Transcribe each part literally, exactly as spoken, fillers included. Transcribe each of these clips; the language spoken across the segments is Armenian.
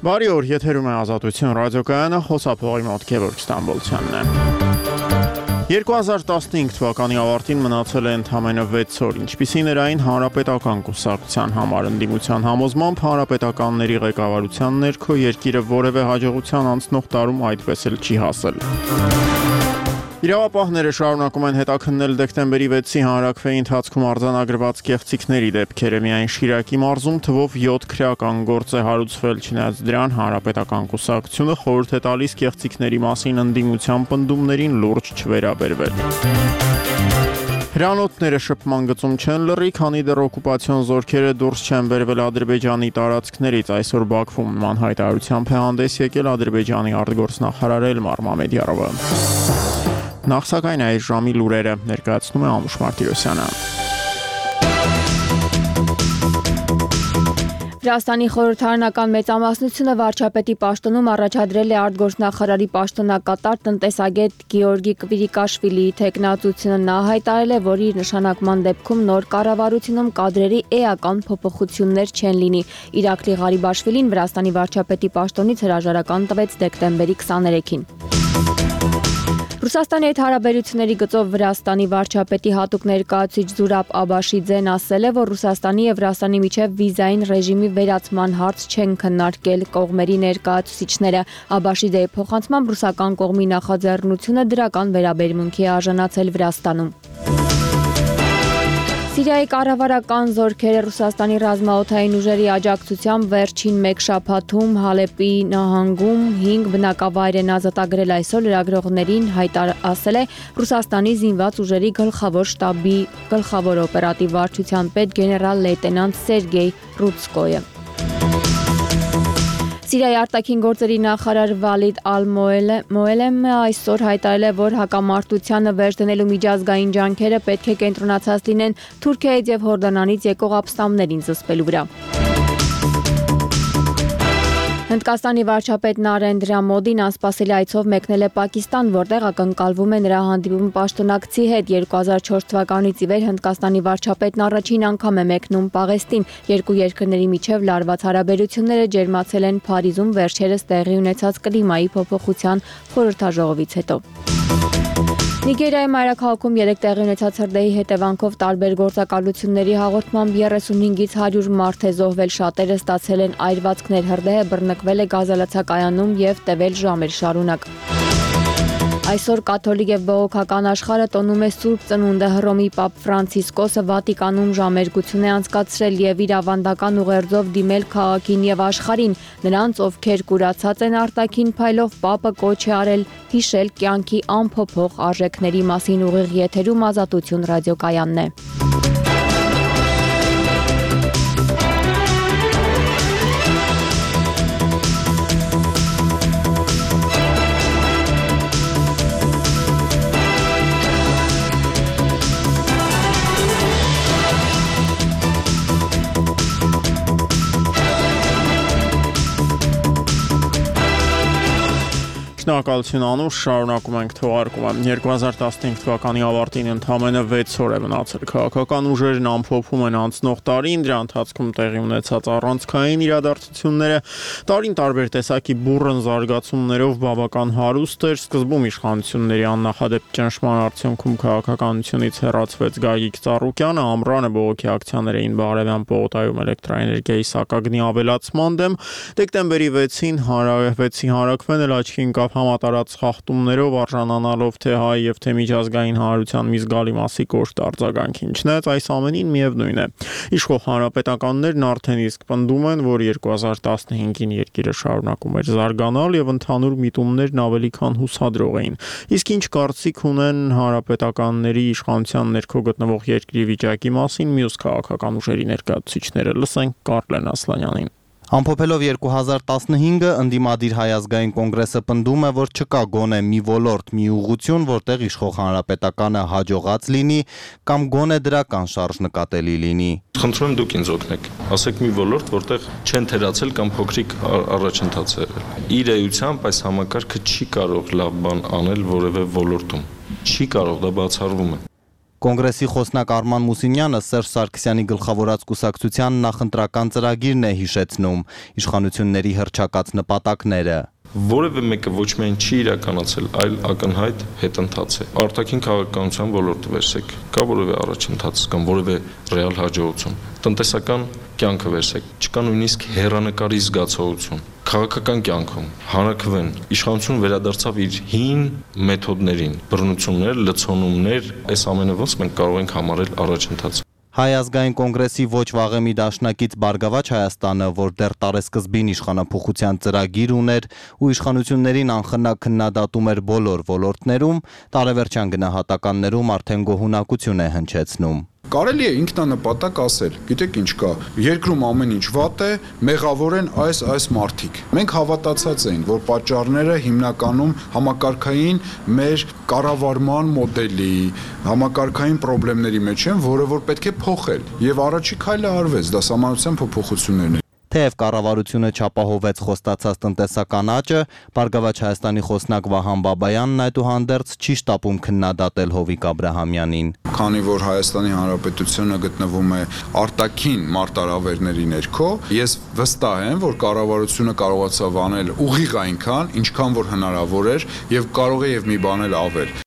Բարի օր, եթերում է Ազատություն ռադիոկայանը, խոսափողի մոտ Գևորգ Ստամբոլցյանն է։ երկու հազար տասնհինգ թվականի ավարտին մնացել է ընդամենը վեց օր, ինչպիսին էր այն Հանրապետական կուսակցության համար ընդդիմության համոզմամբ հանրապետականների ղեկավարության ներքո երկիրը որևէ հաջողության անցնող տարում այդպես էլ չի հասել։ Իրավապահները շարունակում են հետաքննել դեկտեմբերի վեցի հանրաքվեի ընթացքում արձանագրված կեղծիքների դեպքերը, միայն Շիրակի մարզում թվով յոթ քրեական գործ է հարուցվել, չնայած դրան հանրապետական կուսակցությունը խորհուրդ է տալիս կեղծիքների մասին ընդդիմության պնդումներին լուրջ չվերաբերվել։ Հրանոթները շփման գծում չեն լռի, քանի դեռ օկուպացիոն զորքերը դուրս չեն բերվել Ադրբեջանի տարածքներից, այսօր Բաքվում նման հայտարարությամբ է հանդես եկել Ադրբեջանի արտգործնախարար Էլմար Մամեդյարովը։ Նախ սակայն այս ժամի լուրերը ներկայացնում է Անուշ Մարտիրոսյանը։ Վրաստանի խորհրդարանական մեծամասնությունը վարչապետի պաշտոնում առաջադրել է արտգործնախարարի պաշտոնակատար տնտեսագետ Գեորգի Կվիրիկաշվիլիի թեկնածությունը։ Նա հայտարարել է, որ իր նշանակման դեպքում նոր կառավարությունում կադրերի էական փոփոխություններ չեն լինի։ Իրաքլի Ղարիբաշվիլին Վրաստանի վարչապետի պաշտոնից հրաժարական տվեց դեկտեմբերի քսաներեքին։ Ռուսաստանի հետ հարաբերությունների գծով Վրաստանի վարչապետի հատուկ ներկայացուցիչ Զուրաբ Աբաշիձեն ասել է, որ Ռուսաստանի եւ Վրաստանի միջև վիզային ռեժիմի վերացման հարց չեն քննարկել կողմերի ներկայացուցիչները։ Աբաշիձեի փոխանցմամբ ռուսական կողմի նախաձեռնությունը դրական վերաբերմունքի է արժանացել Վրաստանում։ Սիրիայի կառավարական զորքերը Ռուսաստանի ռազմաօդային ուժերի աջակցությամբ վերջին մեկ շաբաթում Հալեպի նահանգում հինգ բնակավայր են ազատագրել, այսօր լրագրողներին ասել է Ռուսաստանի զինված ուժերի գլխավոր շտաբի գլխավոր օպերատիվ վարչության պետ գեներալ լեյտենանտ Սերգեյ Ռուցկոյը։ Սիրիայի արտաքին գործերի նախարար Վալիդ Ալ-Մոելեմը այսօր հայտարարել է, որ հակամարտությանը վերջ դնելու միջազգային ջանքերը պետք է կենտրոնացած լինեն Թուրքիայից եւ Հորդանանից եկող ապստամբներին զսպելու վրա։ Հնդկաստանի վարչապետ Նարենդրա Մոդին անսպասելի այցով մեկնել է Պակիստան, որտեղ ակնկալվում է նրա հանդիպում պաշտոնակցի հետ։ երկու հազար չորս թվականից ի վեր Հնդկաստանի վարչապետն առաջին անգամ է մեկնում Պաղեստին։ Երկու երկրների միջև լարված հարաբերությունները ջերմացել են Փարիզում վերջերս տեղի ունեցած կլիմայի փոփոխության խորհրդաժողովից հետո։ Նիգերիայի մայրաքաղաքում երեկ տեղի ունեցած հրդեհի հետևանքով տարբեր գործակալությունների հաղորդմամբ երեսունհինգից հարյուր մարդ է զոհվել, շատերը ստացել են այրվածքներ, հրդեհը բռնկվել է գազալացակայանում եւ տևել ժամեր շարունակ։ Այսօր կաթոլիկ եւ բողոքական աշխարհը տոնում է Սուրբ Ծնունդը։ Հռոմի Պապ Ֆրանցիսկոսը Վատիկանում ժամերգություն է անցկացրել եւ իր ավանդական ուղերձով դիմել քաղաքին եւ աշխարհին։ Նրանց, ովքեր կուրացած են արտաքին փայլով, Պապը կոչ է արել հիշել կյանքի անփոփոխ արժեքների մասին։ Ուղիղ եթերում Ազատություն ռադիոկայանն է։ Շնորհակալություն Անուշ, շարունակում ենք թողարկումը։ երկու հազար տասնհինգ թվականի ավարտին ընդամենը վեց օր է մնացել։ Քաղաքական ուժերն ամփոփում են անցնող տարին, դրա ընթացքում տեղի ունեցած առանցքային իրադարձությունները տարին տարբեր տեսակի բուռն զարգացումներով բավական հարուստ էր։ Սկզբում իշխանությունների աննախադեպ ճնշման արդյունքում քաղաքականությունից հեռացվեց Գագիկ Ծառուկյանը, ամռանը բողոքի ակցիաներ էին Բաղարևյան պողոտայում էլեկտրաէներգիայի սակագնի ավելացման դեմ։ Դեկտեմբերի վեցին հարավեցի հանրաքվեն էլ աչքի ընկավ համատարած խախտումներով, արժանանալով թե հայ եւ թե միջազգային հանրության մի զգալի մասի կոշտ արձագանքին։ Չնայած այս ամենին միևնույն է, իշխող հանրապետականներն արդեն իսկ պնդում են, որ երկու հազար տասնհինգին երկիրը շարունակում էր զարգանալ եւ ընդհանուր միտումներն ավելի քան հուսադրող էին։ Իսկ ինչ կարծիք ունեն հանրապետականների իշխանության ներքո գտնվող երկրի վիճակի մասին մյուս քաղաքական ուժերի ներկայացուցիչները։ Լսենք Կարլեն Ասլանյանին։ Ամփոփելով երկու հազար տասնհինգը, ընդդիմադիր Հայ ազգային կոնգրեսը պնդում է, որ չկա գոնե մի ոլորտ, մի ուղղություն, որտեղ իշխող հանրապետականը հաջողած լինի կամ գոնե դրական շարժ նկատելի լինի։ Խնդրում եմ դուք ինձ օգնեք, ասեք մի ոլորտ, որտեղ չեն թերացել կամ փոքրիկ առաջընթաց է եղել։ Իր էությամբ այս համակարգը չի կարող լավ բան անել որևէ ոլորտում։ Չի կարող, դա բացառվում է։ Կոնգրեսի խոսնակ Արման Մուսինյանը Սերժ Սարգսյանի գլխավորած կուսակցության նախընտրական ծրագիրն է հիշեցնում, իշխանությունների հռչակած նպատակները։ Որևէ մեկը ոչ միայն չի իրականացել, այլ ակնհայտ հետընթաց է։ Արտաքին քաղաքականության ոլորտը վերցեք, կա որևէ առաջընթաց կամ որևէ ռեալ հաջողություն։ Տնտեսական կյանքը վերցեք, չկա նույնիսկ հեռանկարի զգացողություն։ Քաղաքական կյանքում հանրաքվեն իշխանությունը վերադարձավ իր հին մեթոդներին, բռնություններ, լցոնումներ, այս ամենը ոնց մենք կարող ենք համարել առաջընթաց։ Հայ ազգային կոնգրեսի ոչ վաղեմի դաշնակից Բարգավաճ Հայաստանը, որ դեռ տարեսկզբին իշխանափոխության ծրագիր ուներ ու իշխանություններին անխնա քննադատում էր բոլոր ոլորտներում, տարեվերջյան գնահատականներում արդեն գոհունակություն է հնչեցնում։ Կարելի է ինքնանպատակ ասել, գիտեք ինչ կա, երկրում ամեն ինչ վատ է, մեղավոր են այս այս մարդիկ։ Մենք հավատացած էին, որ պատճառները հիմնականում համակարգային մեր կառավարման մոդելի, համակարգային խնդիրների մեջ են, որը որ պետք է փոխել։ Եվ առաջի քայլը արվեց, դա սահմանության փոփոխություններն են։ Թեև կառավարությունը չապահովեց խոստացած տնտեսական աճը, Բարգավաճ Հայաստանի խոսնակ Վահան Բաբայանն այդուհանդերձ չի շտապում քննադատել Հովիկ Աբրահամյանին։ Քանի որ Հայաստանի Հանրապետությունը գտնվում է արտաքին մարտահրավերների ներքո, ես վստահ եմ, որ կառավարությունը կարողացավ անել ուղիղ այնքան, ինչքան որ հնարավոր էր եւ կարող է եւ մի բան էլ ավել։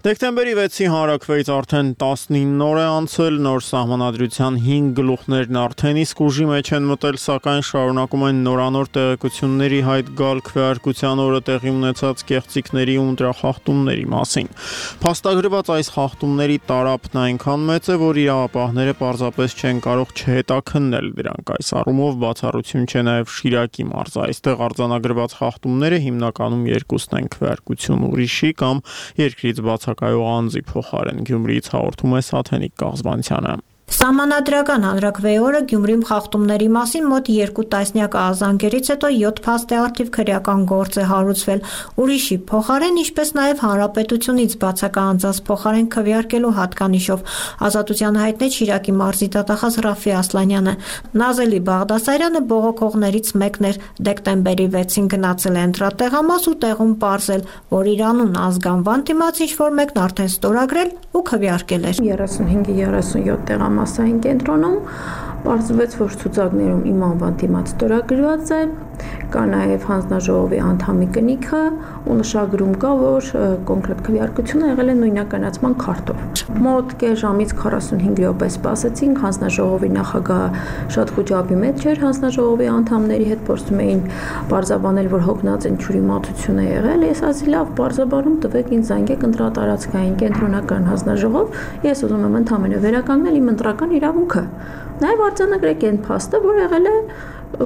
Դեկտեմբերի վեցի հանրաքվեից արդեն տասնինը օր է անցել, նոր սահմանադրության հինգ գլուխներն արդեն իսկ ուժի մեջ են մտել, սակայն շարունակում են նորանոր տեղեկությունների հայտ գալ քվեարկության օրը տեղի ունեցած կեղծիքների ու ընտրախախտումների մասին։ Փաստագրված այս խախտումների տարափն այնքան մեծ է, որ իրավապահները պարզապես չեն կարող չհետաքննել դրանք։ Այս առումով բացառություն չէ նաև Շիրակի մարզը։ Այստեղ արձանագրված խախտումները հիմնականում երկուսն են՝ քվեարկություն ուրիշի կամ երկրից բաց կայող անձի փոխարեն։ Գյումրիից հաղորդում է Սաթենիկ Կազբանցյանը։ Սահմանադրական հանրաքվեի օրը Գյումրիում խախտումների մասին մոտ երկու տասնյակ ահազանգերից հետո յոթ փաստ է արդիվ քրեական գործ է հարուցվել ուրիշի փոխարեն, ինչպես նաև հանրապետությունից բացակա անձանց փոխարեն քվեարկելու հատկանիշով։ Ազատությանը հայտնեց Շիրակի մարզի դատախազ Ռաֆի Ասլանյանը։ Նազելի Բաղդասարյանը բողոքողներից մեկն էր, դեկտեմբերի վեցին գնացել է ընտրատեղամաս ու տեղում պարզել, որ իր անուն ազգանվան դիմաց ինչ-որ մեկն արդեն ստորագրել ու քվեարկել էր։ երեսունհինգ երեսունյոթ տեղամասային կենտրոնում պարզվեց, որ ցուցակներում իմ անվան դիմաց ստորագրված է, կա նաև հանձնաժողովի անդամի կնիքը ու նշագրում կա, որ կոնկրետ քվեարկությունը եղել է նույնականացման քարտով։ Մոտ կես ժամից քառասունհինգ րոպե սպասեցինք, հանձնաժողովի նախագահը շատ խոճապի մեջ էր, հանձնաժողովի անդամների հետ փորձում էին բարձաբանել, որ հոգնած են ջուրիմացություն է եղել։ Ես ասի լավ, բարձաբանում տվեք ինձ զանգեք ընտրատարածքային կենտրոնական հանձնաժողով, ես ուզում եմ ընդհանրապես վերականգնել իմ ընտրական իրավունքը։ Նաև արձանագրեք այն փաստը, որ եղել է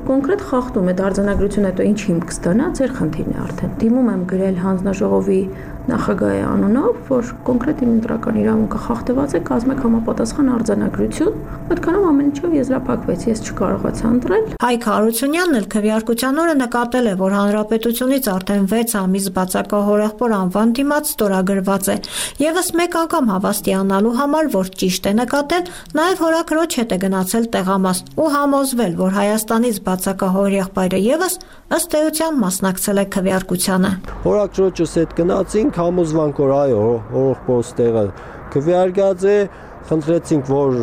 կոնկրետ խախտում է արձանագրություն, հետո ինչ հիմք կստանա, ձեր խնդիրն է արդեն։ Դիմում եմ գրել հանձնաժողովի նախագահի անունով, որ կոնկրետ իմ ընտրական իրավունքը խախտված է, կազմեք համապատասխան արձանագրություն, այդքանով ամեն ինչով եզրափակվեց, ես չկարողացա ընտրել։ Հայկ Հարությունյանն էլ քվեարկության օրը նկատել է, որ հանրապետությունից արդեն վեց ամիս բացակա հորեղբոր անվան դիմաց ստորագրված է։ Եվս մեկ անգամ հավաստիանալու համար, որ ճիշտ է նկատել, նաև հորաքրոջ հետ է գնացել տեղամաս ու համոզվել, որ Հայաստանից բացակա հորեղբայրը եւս ըստ էության մասնակցել է քվեարկությանը։ Հորաքրոջս հետ գնացինք, համոզվանք, որ այո, հորեղբորս տեղը քվեարկած է, խնդրեցինք, որ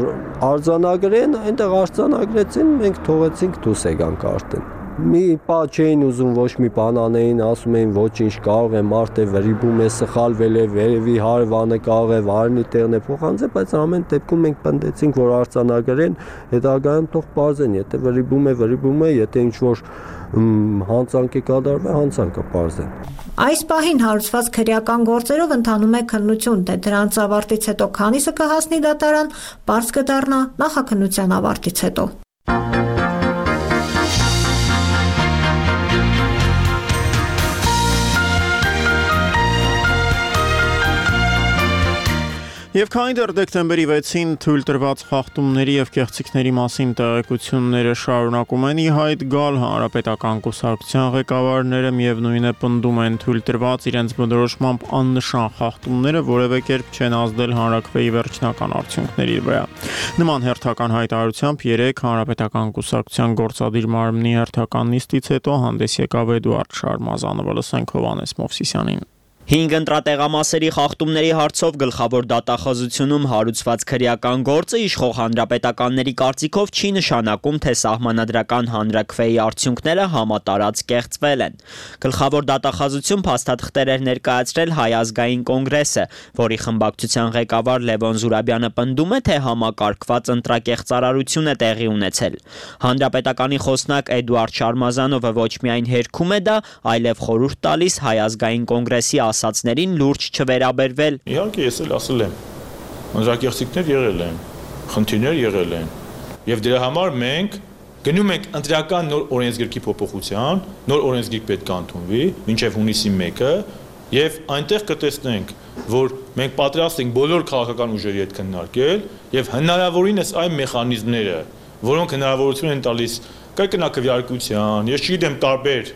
արձանագրեն, այնտեղ արձանագրեցին, մենք թողեցինք դուրս եկանք արդեն։ Մի պա չէին ուզում ոչ մի բան անեին, ասում էին ոչինչ, կարող է մարդը վրիպում է, սխալվել է, վերևի հարևանը կարող է վարնի տեղն է փոխանցել, բայց ամեն դեպքում մենք պնդեցինք, որ արձանագրեն, հետագայում թող պարզեն, եթե վրիպում է, վրիպում է, եթե ինչ-որ հանցանք է կատարվել, հանցանքը պարզեն։ Այս պահին հարուցված քրեական գործերով ընթանում է քննություն, թե դրանց ավարտից հետո քանիսը կհասնի դատարան, պարզ կդառնա նախաքննության ավարտից հետո։ Եվ քանի դեռ դեկտեմբերի վեցին թույլ տրված խախտումների եւ կեղծիքների մասին տեղեկությունները շարունակում են ի հայտ գալ, հանրապետական կուսակցության ղեկավարները միևնույն է պնդում են թույլ տրված իրենց բնորոշմամբ աննշան խախտումները որևէ կերպ չեն ազդել հանրաքվեի վերջնական արդյունքների վրա։ Նման հերթական հայտարարությամբ երեկ հանրապետական կուսակցության գործադիր մարմնի հերթական նիստից հետո հանդես եկավ Էդուարդ Շարմազանովը, լսենք Հովհաննես Մովսիսյանին։ Հինգ ընտրատեղամասերի խախտումների հարցով գլխավոր դատախազությունում հարուցված քրեական գործը իշխող հանրապետականների կարծիքով չի նշանակում, թե սահմանադրական հանրաքվեի արդյունքները համատարած կեղծվել են։ Գլխավոր դատախազություն փաստաթղթեր էր ներկայացրել Հայ ազգային կոնգրեսը, որի խմբակցության ղեկավար Լևոն Զուրաբյանը պնդում է, թե համակարգված ընտրակեղծարարություն է տեղի ունեցել։ Հանրապետականի խոսնակ Էդուարդ Շարմազանովը ոչ միայն հերքում է դա, այլև խորհուրդ տալիս Հայ ազգային կոնգրեսի ասացներին լուրջ չվերաբերվել։ Իհարկե ես էլ ասել եմ, ընտրակեղծիքներ եղել են, խնդիրներ եղել են, եւ դրա համար մենք գնում ենք ընտրական նոր օրենսգրքի փոփոխության, նոր օրենսգիրք պետք է ընդունվի մինչեւ հունիսի մեկը, եւ այնտեղ կտեսնենք, որ մենք պատրաստ ենք բոլոր քաղաքական ուժերի հետ քննարկել եւ հնարավորինս այն մեխանիզմները, որոնք հնարավորություն են տալիս կրկնակվյարկության, ես չգիտեմ տարբեր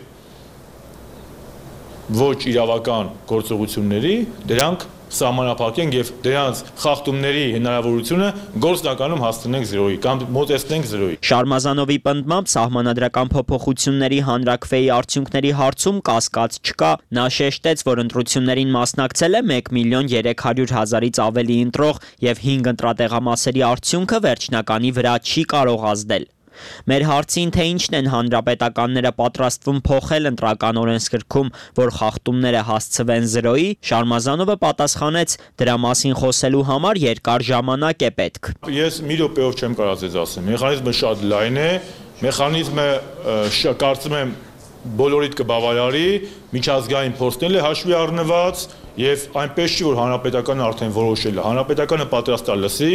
ոչ իրավական գործողությունների, դրանք սահմանափակենք եւ դրանց խախտումների հնարավորությունը գործնականում հասցնենք զրոյի կամ մոտեցնենք զրոյի։ Շարմազանովի պնդմամբ սահմանադրական փոփոխությունների հանրաքվեի արդյունքների հարցում կասկած չկա։ Նա շեշտեց, որ ընտրություններին մասնակցել է մեկ միլիոն երեք հարյուր հազարից ավելի ընտրող եւ հինգ ընտրատեղամասերի արդյունքը վերջնականի վրա չի կարող ազդել։ Մեր հարցին, թե ինչն են հանրապետականները պատրաստվում փոխել ընտրական օրենսգրքում, որ խախտումները հասցվեն զրոյի, Շարմազանովը պատասխանեց, դրա մասին խոսելու համար երկար ժամանակ է պետք։ Ես մի րոպեով չեմ կարող ձեզ ասեմ, մեխանիզմը շատ լայն է, մեխանիզմը կարծում եմ բոլորիդ կբավարարի, միջազգային փորձն է հաշվի առնված եւ այնպես չի, որ հանրապետականը արդեն որոշել է, հանրապետականը պատրաստ է լսի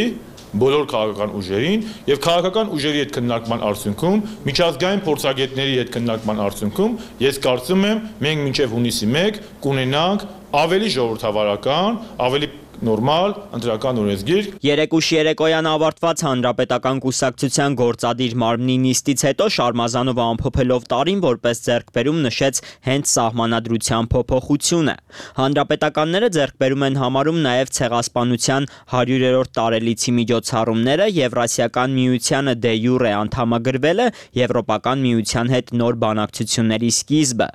բոլոր քաղաքական ուժերին եւ քաղաքական ուժերի հետ քննարկման արդյունքում, միջազգային փորձագետների հետ քննարկման արդյունքում, ես կարծում եմ, մենք մինչեւ հունիսի մեկը կունենանք ավելի ժողովրդավարական, ավելի նորմալ ընտրական օրենսգիրք։ Երեկուշ երեկոյան ավարտված հանրապետական կուսակցության գործադիր մարմնի նիստից հետո Շարմազանովը ամփոփելով տարին որպես ձեռքբերում նշեց հենց սահմանադրության փոփոխությունը։ Հանրապետականները ձեռքբերում են համարում նաև ցեղասպանության հարյուրերորդ տարելիցի միջոցառումները, Եվրասիական միությանը դե յուրե անդամագրվելը, Եվրոպական միության հետ նոր բանակցությունների սկիզբը։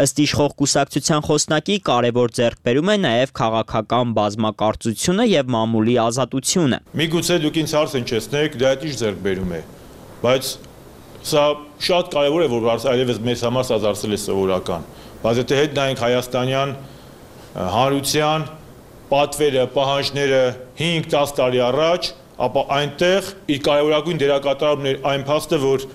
Ըստ իշխող կուսակցության խոսնակի կարևոր ձեռքբերում է նաև քաղաքական բազմակարծությունը եւ մամուլի ազատությունը։ Միգուցե դուք ինձ հարց հնչեցնեք, դա ինչ ձեռքբերում է, բայց սա շատ կարևոր է, որ այլևս մեզ համար սա դարձել է սովորական։ Բայց եթե հետ նայենք հայաստանյան հանրության պատվերը, պահանջները հինգ դես տարի առաջ, ապա այնտեղ իր կարևորագույն դերակատարումն էր այն փաստը, որ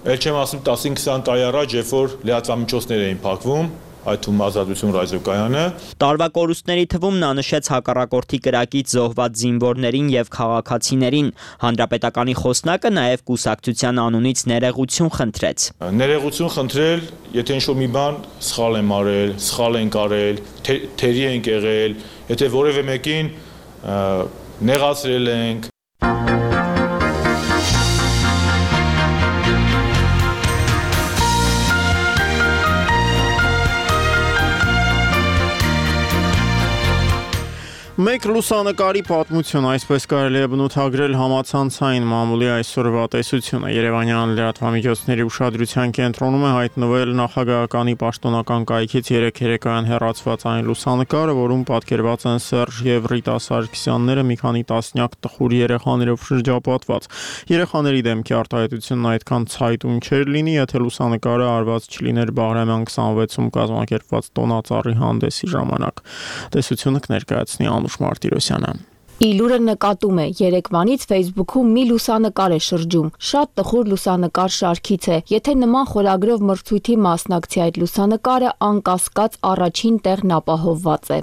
ել չեմ ասում տասին քսան տարի առաջ, երբ որ լրատվամիջոցներ էին փակվում, այդ թվում ազատություն ռադիոկայանը։ Տարվա կորուստների թվում նա նշեց հակառակորդի կրակից զոհված զինվորներին եւ քաղաքացիներին։ Հանրապետականի խոսնակը նաեւ կուսակցության անունից ներեգություն խնդրեց։ Ներեգություն խնդրել, եթե ինչ-որ մի բան սխալ եմ արել, սխալ ենք արել, թերի ենք եղել, եթե որևէ մեկին նեղացրել ենք, Մեկ լուսանկարի պատմություն, այսպես կարելի է բնութագրել համացանցային մամուլի այսօրվա տեսությունը։ Երևանյան լրատվամիջոցների ուշադրության կենտրոնում է հայտնվել նախագահականի պաշտոնական կայքից երեկ երեկոյան հեռացված այն լուսանկարը, որում պատկերված են Սերժ եւ Ռիտա Սարգսյանները մի քանի տասնյակ տխուր երեխաներով շրջապատված։ Երեխաների դեմքի արտահայտությունն այդքան ցայտուն չէր լինի, եթե լուսանկարը արված չլիներ Բաղրամյան քսանվեցում կազմակերպված տոնածառի հանդեսի ժամանակ։ Տեսությունը կներկայացնի Անուշ Մարտիրոսյանը։ Իլուրը նկատում է, Երևանից Facebook-ում մի լուսանկար է շրջում, շատ տխուր լուսանկար շարքից է, եթե նման խորագրով մրցույթի մասնակցի այդ լուսանկարը անկասկած առաջին տեղն ապահովված է։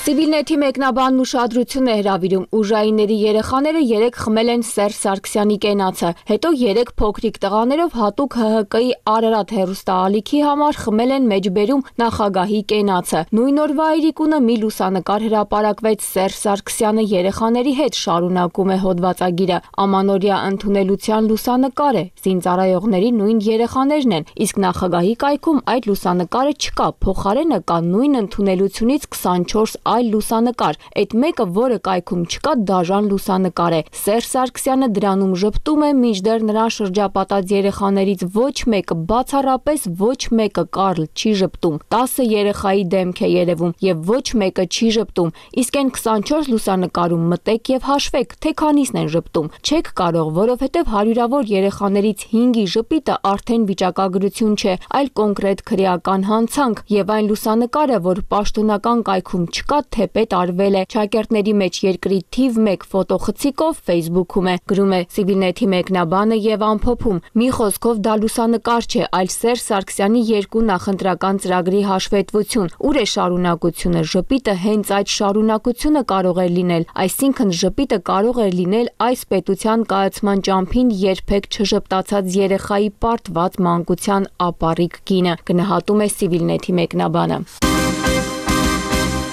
Civilnet-ի մեկնաբանն ուշադրություն է հրավիրում ուժայինների երեխաները երեք խմել են Սերժ Սարգսյանի կենացը, հետո երեք փոքրիկ տղաներով հատուկ Հ Հ Կ-ի Արարատ հեռուստաալիքի համար խմել են մեջբերում նախագահի կենացը։ Նույն օրվա Այրիկունը մի լուսանկար հրապարակվեց Սերժ Սարգսյանը երեխաների հետ, շարունակում է հոդվածագիրը։ Ամանորյա ընդունելության լուսանկար է, զինծառայողների նույն երեխաներն են, իսկ նախագահի կայքում այդ լուսանկարը չկա, փոխարենը կա նույն ընդունելությունից քսանչորս այլ լուսանկար, այդ մեկը, որը կայքում չկա, դաժան լուսանկար է։ Սերժ Սարգսյանը դրանում ժպտում է, մինչդեռ նրան շրջապատած երեխաներից ոչ մեկը, բացառապես ոչ մեկը Կարլ չի ժպտում։ տասը երեխայի դեմք է երևում եւ ոչ մեկը չի ժպտում, իսկ այն քսանչորս լուսանկարում մտեք եւ հաշվեք, թե քանիսն են ժպտում։ Չեք կարող, որովհետեւ հարյուրավոր երեխաներից հինգի ժպիտը արդեն վիճակագրություն չէ, այլ կոնկրետ քրեական հանցանք եւ այն լուսանկարը, որ պաշտոնական կայքում չկա, թեպետ արվել է։ Շակերտների մեջ երկրի թիվ մեկ ֆոտոխցիկով Facebook-ում է, գրում է Civilnet-ի մեկնաբանը եւ ամփոփում։ Մի խոսքով դա լուսանկար չէ, այլ Սերժ Սարգսյանի երկու նախընտրական ծրագրի հաշվետվություն։ Ուր է շարունակությունը։ Ժպիտը հենց այդ շարունակությունը կարող է լինել, այսինքն ժպիտը կարող է լինել այս պետության կայացման ճամփին երբեք չժպտացած երեխայի պարտված մանկության ապառիկ գինը, գնահատում է Civilnet-ի մեկնաբանը։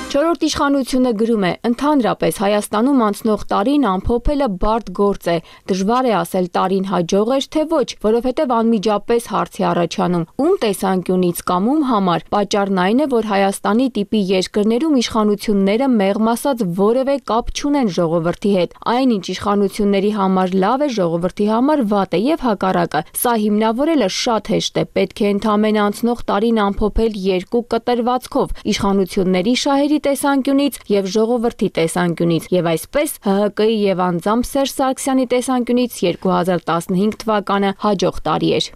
Չորրորդ իշխանությունը գրում է. ընդհանրապես Հայաստանում անցնող տարին ամփոփելը բարդ գործ է, դժվար է ասել տարին հաջող էր թե ոչ, որովհետև անմիջապես հարց է առաջանում. ում տեսանկյունից կամ ում համար։ Պատճառն այն է, որ Հայաստանի տիպի երկրներում իշխանությունները մեղմ ասած որևէ կապ չունեն ժողովրդի հետ։ Այնինչ իշխանությունների համար լավ է, ժողովրդի համար վատ է եւ հակառակը։ Սա հիմնավորելը շատ հեշտ է, պետք է ընդամենը անցնող տարին ամփոփել երկու կտրվածքով՝ իշխանությունների շահերի տեսանկյունից եւ ժողովրդի տեսանկյունից, եւ այսպես Հ Հ Կ-ի եւ անձամբ Սերժ Սարգսյանի տեսանկյունից երկու հազար տասնհինգ թվականը հաջող տարի էր։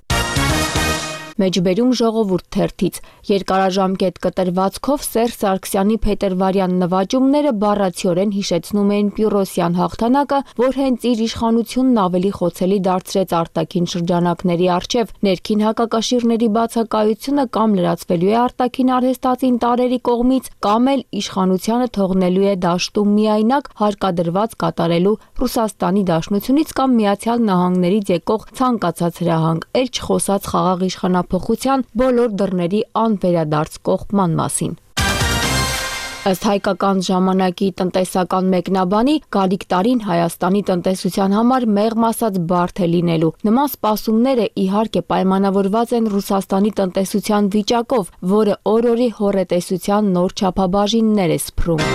Մեջբերում ժողովուրդ թերթից երկարաժամկետ կտրվածքով Սերժ Սարգսյանի փետրվարյան նվաճումները բառացիորեն հիշեցնում էին Պյուրոսյան հաղթանակը, որ հենց իր իշխանությունն ավելի խոցելի դարձրեց արտաքին շրջանակների առջև, ներքին հակակաշիռների բացակայությունը կամ լրացվելու է արտաքին արհեստածին տարերի կողմից, կամ էլ իշխանությանը թողնելու է դաշտում միայնակ հարկադրված կատարելու Ռուսաստանի Դաշնությունից կամ Միացյալ Նահանգներից եկող ցանկացած հրահանգ, էլ չխոսած խաղաղ իշխանափոխության բոլոր դռների անվերադարձ կողպման մասին։ Ըստ հայկական ժամանակի տնտեսական մեկնաբանի, գալիք տարին Հայաստանի տնտեսության համար մեղմ ասած բարդ է լինելու։ Նման սպասումները իհարկե պայմանավորված են Ռուսաստանի տնտեսության վիճակով, որը օր-օրի հոռետեսության նոր չափաբաժիններ է սփռում։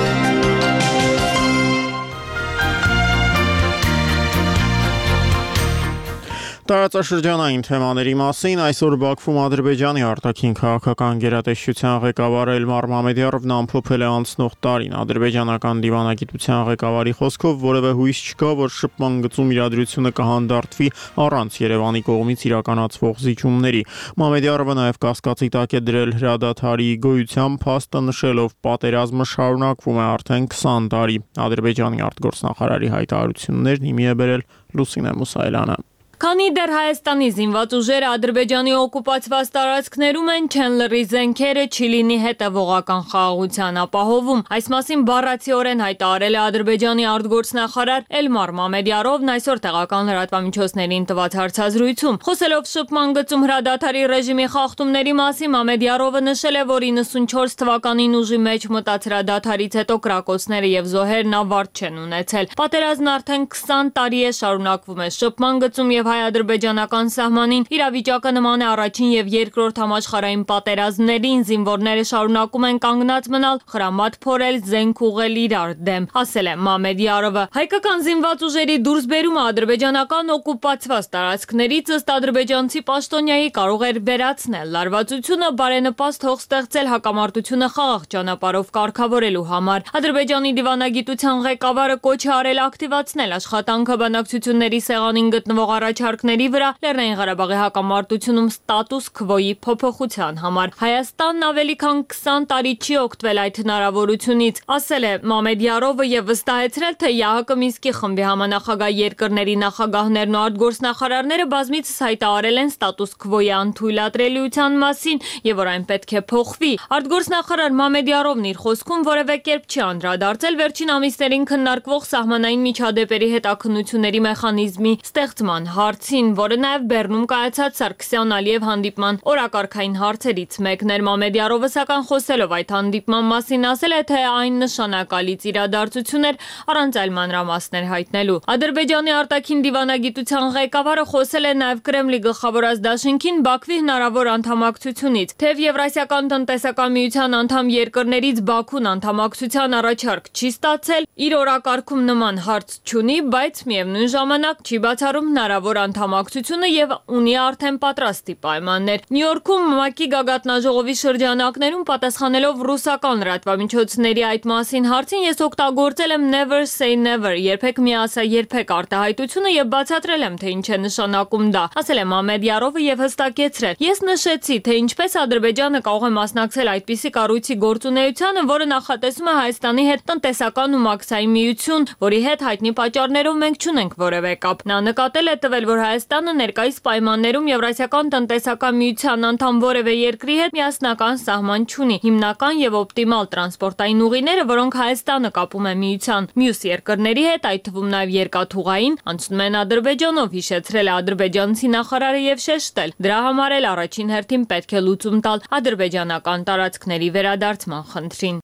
Տարածաշրջանային թեմաների մասին այսօր Բաքվում Ադրբեջանի արտաքին քաղաքական գերատեսչության ղեկավար Էլմար Մամեդյարովն ամփոփել է անցնող տարին։ Ադրբեջանական դիվանագիտության ղեկավարի խոսքով որևէ հույս չկա, որ շփման գծում իրադրությունը կհանդարտվի առանց Երևանի կողմից իրականացվող զիջումների։ Մամեդյարովը նաև կասկածի տակ է դրել հրադադարի գոյության փաստը, նշելով պատերազմը շարունակվում է արդեն քսան տարի։ Ադրբեջանի արտգործնախարարի հայտարարություններն հիմի է բերել Լուսինե Մուսայելյանը։ Քանի դեռ Հայաստանի զինված ուժերը Ադրբեջանի օկուպացված տարածքներում են, չեն լռի զենքերը, չի լինի հետևողական խաղաղության ապահովում։ Այս մասին բառացիորեն հայտարարել է Ադրբեջանի արտգործնախարար Էլմար Մամեդյարովն այսօր տեղական լրատվամիջոցներին տված հարցազրույցում։ Խոսելով շփման գծում հրադադարի ռեժիմի խախտումների մասին, Մամեդյարովը նշել է, որ իննսունչորս թվականին ուժի մեջ մտած հրադադարից հետո կրակոցները եւ զոհերն ավարտ չեն ունեցել։ Պատերազմն արդեն քսան տարի է շարունակվում է շփման գծում եւ հայ-ադրբեջանական սահմանին իրավիճակը նման է առաջին եւ երկրորդ համաշխարհային պատերազմներին, զինվորները շարունակում են կանգնած մնալ, խրամատ փորել, զենք ուղղել իրար դեմ, ասել է Մամեդյարովը։ Հայկական զինված ուժերի դուրսբերումը ադրբեջանական օկուպացված տարածքներից ըստ ադրբեջանցի պաշտոնյայի կարող էր վերացնել լարվածությունը, բարենպաստ հող ստեղծել հակամարտությունը խաղաղ ճանապարհով կարգավորելու համար։ Ադրբեջանի դիվանագիտության ղեկավարը կոչ է արել ակտիվացնել աշխատանքը բանակցությունների սեղանին գտնվող առաջ առաջարկների վրա Լեռնային Ղարաբաղի հակամարտությունում ստատուս քվոյի փոփոխության համար։ Հայաստանն ավելի քան քսան տարի չի օգտվել այդ հնարավորությունից, ասել է Մամեդյարովը եւ վստահեցրել, թե ԵԱՀԿ Մինսկի խմբի համանախագահ երկրների նախագահներն ու արտգործնախարարները բազմիցս հայտարարել են ստատուս քվոյի անթույլատրելիության մասին եւ որ այն պետք է փոխվի։ Արտգործնախարար Մամեդյարովն իր խոսքում որևէ կերպ չի անդրադարձել վերջին ամիսներին քննարկվող սահմանային միջադեպերի հետաքննությունների մեխանիզմի ստեղծման հարցին, որը նաև Բեռնում կայացած Սարգսյան-Ալիև հանդիպման օրակարգային հարցերից մեկն էր։ Մամեդյարովը սակայն խոսելով այդ հանդիպման մասին ասել է, թե այն նշանակալից իրադարձություն էր առանց այլ մանրամասներ հայտնելու։ Ադրբեջանի արտաքին դիվանագիտության ղեկավարը խոսել է նաև Կրեմլի գլխավորած դաշինքին Բաքվի հնարավոր անդամակցությունից, թեև Եվրասիական տնտեսական միության անդամ երկրներից Բաքուն անդամակցության առաջարկ չի ստացել, իր օրակարգում նման հարց չունի, բայց միևնույն ժամանակ չի բացառում հնարավոր անդամակցությունը եւ ունի արդեն պատրաստի պայմաններ։ Նյու Յորքում ՄԱԿ-ի գագաթնաժողովի շրջանակներում պատասխանելով ռուսական լրատվամիջոցների այդ մասին հարցին ես օգտագործել եմ never say never, երբեք մի ասա երբեք արտահայտությունը եւ բացատրել եմ, թե ինչ է նշանակում դա, ասել է Մամեդյարովը եւ հստակեցրել. Ես նշեցի, թե ինչպես Ադրբեջանը կարող է մասնակցել այդպիսի կառույցի գործունեությանը, որը նախատեսում է Հայաստանի հետ տնտեսական ու մաքսային միություն, որի հետ հայտնի պատճառներով մենք չունենք որևէ կապ։ Նա նկատել է տվել, որ Հայաստանը ներկայիս պայմաններում Եվրասիական տնտեսական միության անդամ որևէ երկրի հետ միասնական սահման չունի։ Հիմնական եւ օպտիմալ տրանսպորտային ուղիները, որոնք Հայաստանը կապում է միության մյուս երկրների հետ, այդ թվում նաեւ երկաթուղային, անցնում են Ադրբեջանով, հիշեցրել է ադրբեջանցի նախարարը եւ շեշտել. դրա համար էլ առաջին հերթին պետք է լուծում տալ ադրբեջանական տարածքների վերադարձման խնդրին։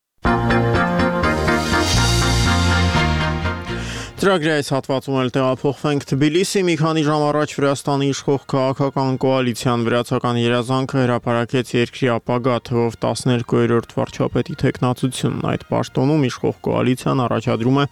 Ծրագրի այս հատվածում էլ տեղափոխվենք Թբիլիսի։ Մի քանի ժամ առաջ Վրաստանի իշխող քաղաքական կոալիցիան վրացական երազանքը հրապարակեց երկրի ապագա թվով տասներկուերորդ վարչապետի թեկնածությունն։ Այդ պաշտոնում իշխող կոալիցիան առաջադրում է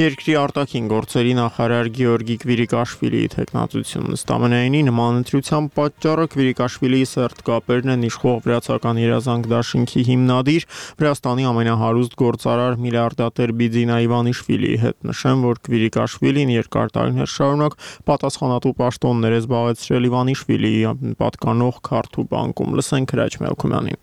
երկրի արտաքին գործերի նախարար Գեորգի Կվիրիկաշվիլիի թեկնածությունն։ Ըստ ամենայնի նման ընտրության պատճառը Կվիրիկաշվիլիի սերտ կապերն են իշխող վրացական երազանք դաշինքի հիմնադիր Վրաստանի ամենահարուստ գործարար միլիարդատեր Բիձինա Իվանիշվիլիի հետ։ Նշեմ, որ Կվիրիկաշվիլին երկար տարիներ շարունակ պատասխանատու պաշտոններ է զբաղեցրել Իվանիշվիլիի պատկանող Քարթու բանկում։ Լսենք Հրաչ Մելքումյանին։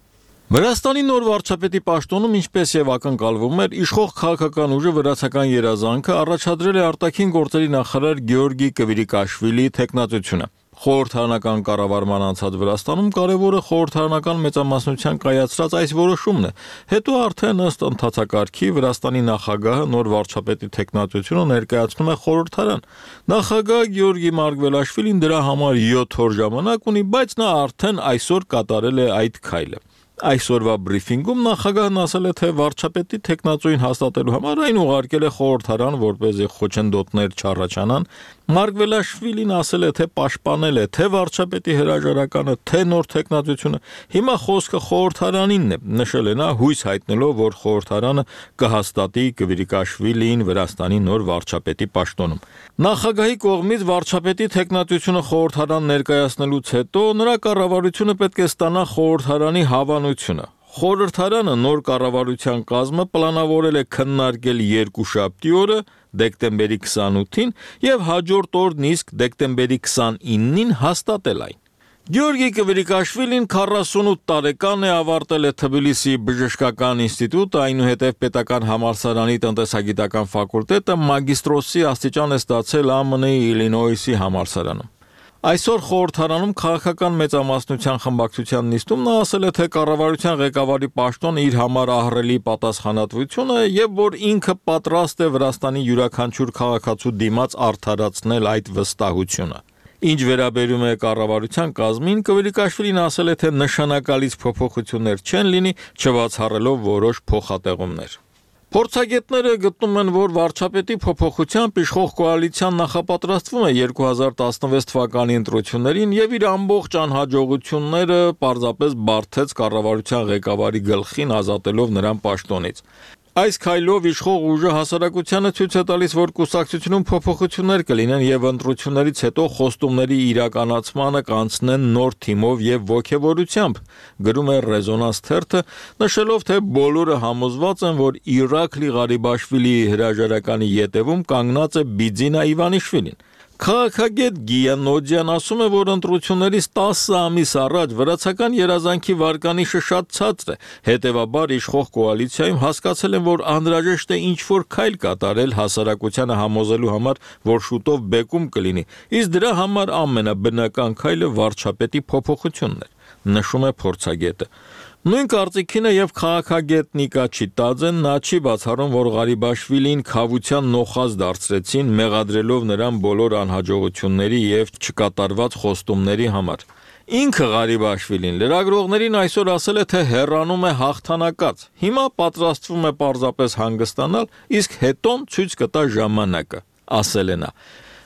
Վրաստանի նոր վարչապետի պաշտոնում, ինչպես եւ ակնկալվում էր, իշխող քաղաքական ուժը վրացական երազանքը առաջադրել է արտաքին գործերի նախարար Գեորգի Կվիրիկաշվիլիի թեկնածությունը։ Խորհրդարանական կառավարման անցած Վրաստանում կարևորը խորհրդարանական մեծամասնության կայացրած այս որոշումն է։ Հետո արդեն ըստ ընթացակարգի Վրաստանի նախագահը նոր վարչապետի թեկնածությունը ներկայացնում է խորհրդարան։ Նախագահ Գեորգի Մարգվելաշվիլին դրա համար յոթ օր ժամանակ ունի, բայց նա արդեն այսօր կատարել է այդ քայլը։ Այսօրվա բրիֆինգում նախագահն ասել է, թե վարչապետի թեկնածուին հաստատելու համար այն ուղարկել է խորհրդարան, որպեսզի խոչընդոտներ չառաջանան։ Մարգվելաշվիլին ասել է, թե պաշտպանել է թե վարչապետի հրաժարականը, թե նոր թեկնածությունը։ Հիմա խոսքը խորհրդարանինն է, նշել է նա, հույս հայտնելով, որ խորհրդարանը կհաստատի Կվիրիկաշվիլիին Վրաստանի նոր վարչապետի պաշտոնում։ Նախագահի կողմից վարչապետի թեկնածությունը խորհրդարան ներկայացնելուց հետո նրա կառավարությունը պետք է ստանա խորհրդարանի հավանությունը։ Խորհրդարանը նոր կառավարության կազմը պլանավորել է քննարկել երկուշաբթի օրը, դեկտեմբերի քսանութին եւ հաջորդ օրն իսկ դեկտեմբերի քսանինին հաստատել այն։ Գեորգի Կվիրիկաշվիլին քառասունութ տարեկան է, ավարտել է Թբիլիսի բժշկական ինստիտուտը, այնուհետև պետական համալսարանի տնտեսագիտական ֆակուլտետը, մագիստրոսի աստիճան է ստացել Ա Մ Ն-ի Իլինոյսի համալսարանում։ Այսօր խորհրդարանում քաղաքական մեծամասնության խմբակցության նիստում նա ասել է, թե կառավարության ղեկավարի պաշտոնը իր համար ահռելի պատասխանատվություն է եւ որ ինքը պատրաստ է Վրաստանի յուրաքանչյուր քաղաքացու դիմաց արդարացնել այդ վստահությունը։ Ինչ վերաբերում է կառավարության կազմին, Կվիրիկաշվիլին ասել է, թե նշանակալից փոփոխություններ չեն լինի, չբացառելով որոշ փոխատեղումներ։ Փորձագետները գտնում են, որ վարչապետի փոփոխությամբ իշխող կոալիցիան նախապատրաստվում է երկու հազար տասնվեց թվականի ընտրություններին եւ իր ամբողջ անհաջողությունները պարզապես բարթեց կառավարության ղեկավարի գլխին, ազատելով նրան պաշտոնից։ Այս քայլով իշխող ուժը հասարակությանը ցույց է տալիս, որ կուսակցությունում փոփոխություններ կլինեն եւ ընտրություններից հետո խոստումների իրականացմանը կանցնեն նոր թիմով եւ ոգեվորությամբ, գրում է Ռեզոնանս թերթը, նշելով, թե բոլորը համոզված են, որ Իրաքլի Ղարիբաշվիլիի հրաժարականի ետևում կանգնած է Բիձինա Իվանիշվիլին։ Քաղաքագետ Գիանոդյան ասում է, որ ընտրություններից տասը ամիս առաջ վրացական երազանքի վարկանիշը շատ ցածր է, հետևաբար իշխող կոալիցիայում հասկացել են, որ անհրաժեշտ է ինչ-որ քայլ կատարել հասարակությանը համոզելու համար, որ շուտով բեկում կլինի, իսկ դրա համար ամենաբնական քայլը վարչապետի փոփոխությունն էր, նշում է փորձագետը։ Նույն կարծիքին է եւ քաղաքագետ Նիկա Չիտաձեն, նա չի բացառում, որ Ղարիբաշվիլին քավության նոխազ դարձրեցին, մեղադրելով նրան բոլոր անհաջողությունների եւ չկատարված խոստումների համար։ Ինքը Ղարիբաշվիլին լրագրողներին այսօր ասել է, թե հեռանում է հաղթանակած։ Հիմա պատրաստվում է պարզապես հանգստանալ, իսկ հետոն ցույց կտա ժամանակը, ասել է նա։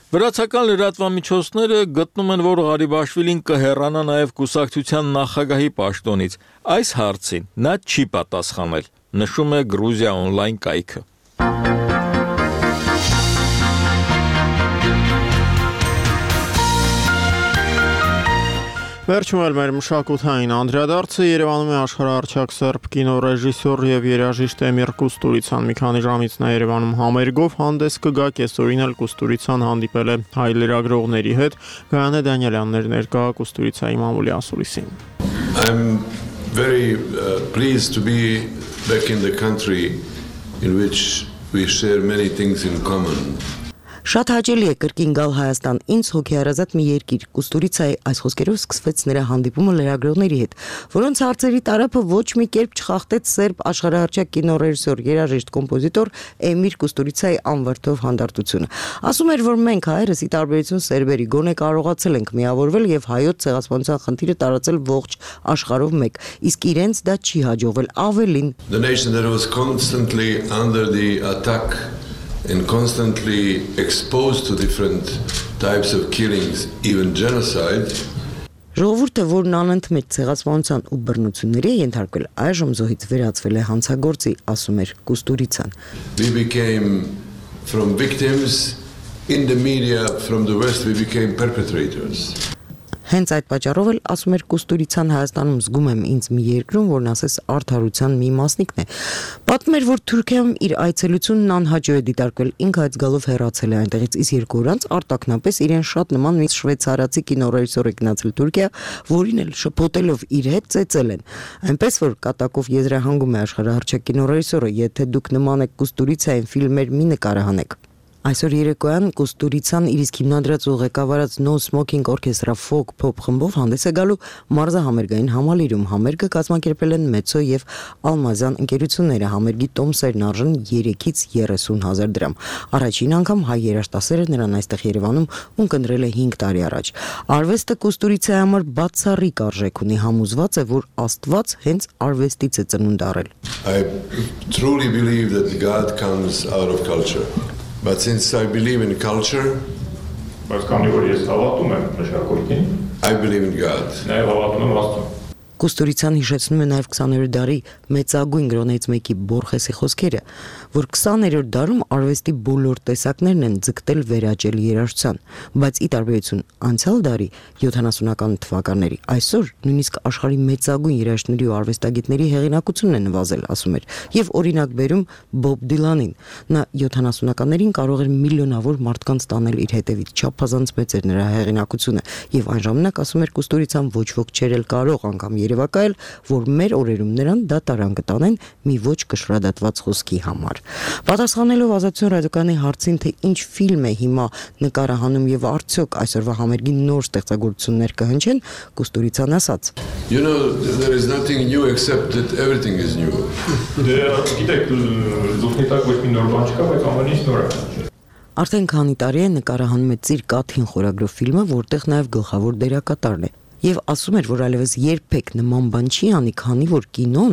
Վրացական լրատվամիջոցները գտնում են, որ Ղարիբաշվիլին կհեռանա նաև կուսակցության նախագահի պաշտոնից։ Այս հարցին նա չի պատասխանել, նշում է Գրուզիա օնլայն կայքը։ Վերջում էլ մեր մշակութային անդրադարձը Երևանում է աշխարհահռչակ սերբ կինոռեժիսոր եւ երաժիշտ Էմիր Կուստուրիցան։ Մի քանի ժամից նա Երևանում համերգով հանդես կգա, կեսօրին էլ Կուստուրիցան հանդիպել է հայ լրագրողների հետ։ Գայանե Դանիելյանն էր ներկա Կուստուրիցայի մամուլի ասուլիսին։ I'm very uh, pleased to be back in the country in which we share many things in common. Շատ հաճելի է կրկին գալ Հայաստան, ինձ հոգեհարազատ մի երկիր։ Կուստուրիցայի այս խոսքերով սկսվեց նրա հանդիպումը լրագրողների հետ, որոնց հարցերի տարափը ոչ մի կերպ չխախտեց սերբ աշխարհահռչակ կինոռեժիսոր, երաժիշտ, կոմպոզիտոր Էմիր Կուստուրիցայի անվրդով հանդարտությունը։ Ասում էր, որ մենք հայերս ի տարբերություն սերբերի գոնե կարողացել ենք միավորվել եւ հայոց ցեղասպանության խնդիրը տարածել ողջ աշխարհով մեկ, իսկ իրենց դա չի հաջողվել, ավելին։ The nation that was constantly under the attack and constantly exposed to different types of killings, even genocide. Ժողովուրդը, որն անընդմեջ ցեղասպանության ու բռնությունների է ենթարկվել, այժմ զոհից վերածվել է հանցագործի, ասում էր Կուստուրիցան։ We became from victims in the media from the West we became perpetrators. Հենց այդ պատճառով էլ ասում էր Կուստուրիցան Հայաստանում զգում եմ ինձ մի երկրում, որն ասես արդարության մի մասնիկն է։ Պատմում էր, որ Թուրքիայում իր այցելությունն անհաջող է դիտարկվել, ինքը այդ զգալով հեռացել է այնտեղից, իսկ երկու օր անց արտաքնապես իրեն շատ նման մի շվեյցարացի կինոռեժիսոր է գնացել Թուրքիա, որին էլ շփոթելով իր հետ ծեծել են։ Այնպես որ կատակով եզրահանգում է աշխարհահռչակ կինոռեժիսորը, եթե դուք նման եք Կուստուրիցային ֆիլմեր մի նկարահանեք։ Այսօր երեկոյան Կուստուրիցան իր իսկ հիմնադրած ու ղեկավարած No Smoking Orchestra Folk Pop խմբով հանդես է գալու մարզահամերգային համալիրում։ Համերգը կազմակերպել են Մեծո եւ Ալմազյան ընկերությունները, համերգի տոմսերն արժեն երեքից երեսուն հազար դրամ։ Առաջին անգամ հայ երաժշտասերը նրան այստեղ Երևանում ունկնդրել է հինգ տարի առաջ։ Արվեստը Կուստուրիցայի համար բացառիկ արժեք ունի, համոզված է, որ Աստված հենց արվեստից է ծնունդ առել։ I truly believe that God comes out of culture. But since I believe in culture, I believe in God. Կուստուրիցան հիշեցնում է նաև քսաներորդ դարի մեծագույն գրողներից մեկի Բորխեսի խոսքերը, որ քսաներորդ դարում արվեստի բոլոր տեսակներն են ձգտել վերաճել երաժշտության, բայց ի տարբերություն անցյալ դարի յոթանասունական թվականների, այսօր նույնիսկ աշխարհի մեծագույն երաժշտների ու արվեստագետների հեղինակությունն է նվազել, ասում էր, եւ օրինակ բերում Բոբ Դիլանին։ Նա յոթանասունականներին կարող էր միլիոնավոր մարդկանց տանել իր հետևից, չափազանց մեծ էր նրա հեղինակությունը, եւ այն ժամանակ ասում էր Կուստուրիցան ոչ ոք չէր էլ կարող անգամ երևակայել, որ մեր օրերում նրան դատարան կտանեն մի ոչ կշռադատված խոսքի համար։ Պատասխանելով Ազատություն ռադիոկայանի հարցին, թե ինչ ֆիլմ է հիմա նկարահանում եւ արդյոք այսօրվա համերգի նոր ստեղծագործություններ կհնչեն, Կուստուրիցան ասաց. You know, there is nothing new except that everything is new. Գիտեք, զուգնիտակ ոչ մի նոր բան չկա, բայց ամեն ինչ նոր է։ Արդեն քանի տարի է նկարահանում է Ծիր Կաթին խորագրով ֆիլմը, որտեղ նաև գլխավոր դերակատարն է։ Եվ ասում էր, որ այլևս երբեք նման բան չի անի, քանի որ կինոն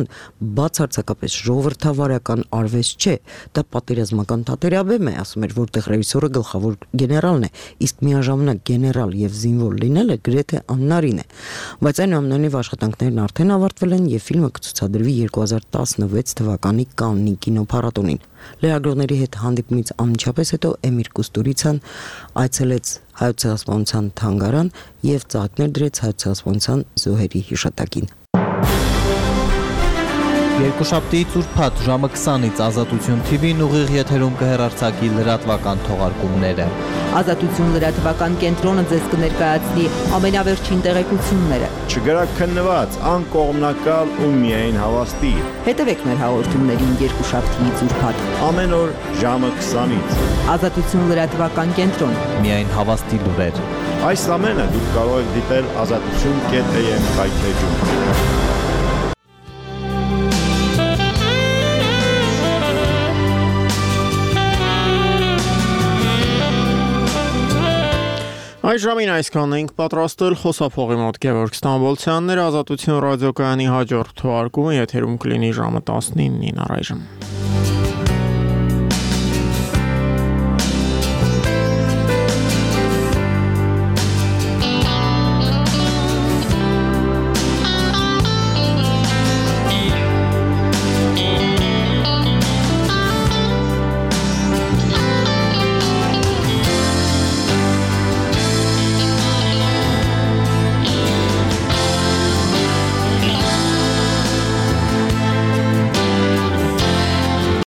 բացարձակապես ժողովրդավարական արվեստ չէ, դա պատերազմական թատերաբեմ է, ասում էր, որտեղ ռեժիսորը գլխավոր գեներալն է, իսկ միաժամանակ գեներալ եւ զինվոր լինելը գրեթե անհնարին է։ Բայց այնուամենայնիվ աշխատանքներն արդեն ավարտվել են եւ ֆիլմը կցուցադրվի երկու հազար տասնվեց թվականի Կաննի կինոփառատոնին։ Լրագրողների հետ հանդիպումից անմիջապես հետո Էմիր Կուստուրիցան այցելեց Հայոց ցեղասպանության թանգարան եւ ծաղիկներ դրեց Հայոց ցեղասպանության զոհերի հիշատակին։ Երկուշաբթիից ուրբաթ ժամը քսանից Ազատություն թի վին ուղիղ եթերում կհեռարձակի լրատվական թողարկումները։ Ազատություն լրատվական կենտրոնը ձեզ կներկայացնի ամենավերջին տեղեկությունները։ Չգրակ քննված, անկողմնակալ ու միայն հավաստի։ Հետևեք մեր հաղորդումներին երկուշաբթիից ուրբաթ ամեն օր ժամը քսանից։ Ազատություն լրատվական կենտրոն։ Միայն հավաստի լուրեր։ Այս ամենը դուք կարող եք դիտել ազատություն կետ էմ հայթեջում։ Այս ժամին այսքանն ենք պատրաստել խոսափողի մոտ Գևորգ Ստամբոլցյաններ, Ազատություն ռադիոկայանի հաջորդ թողարկումը եթերում կլինի ժամը տասնինին առայժմ։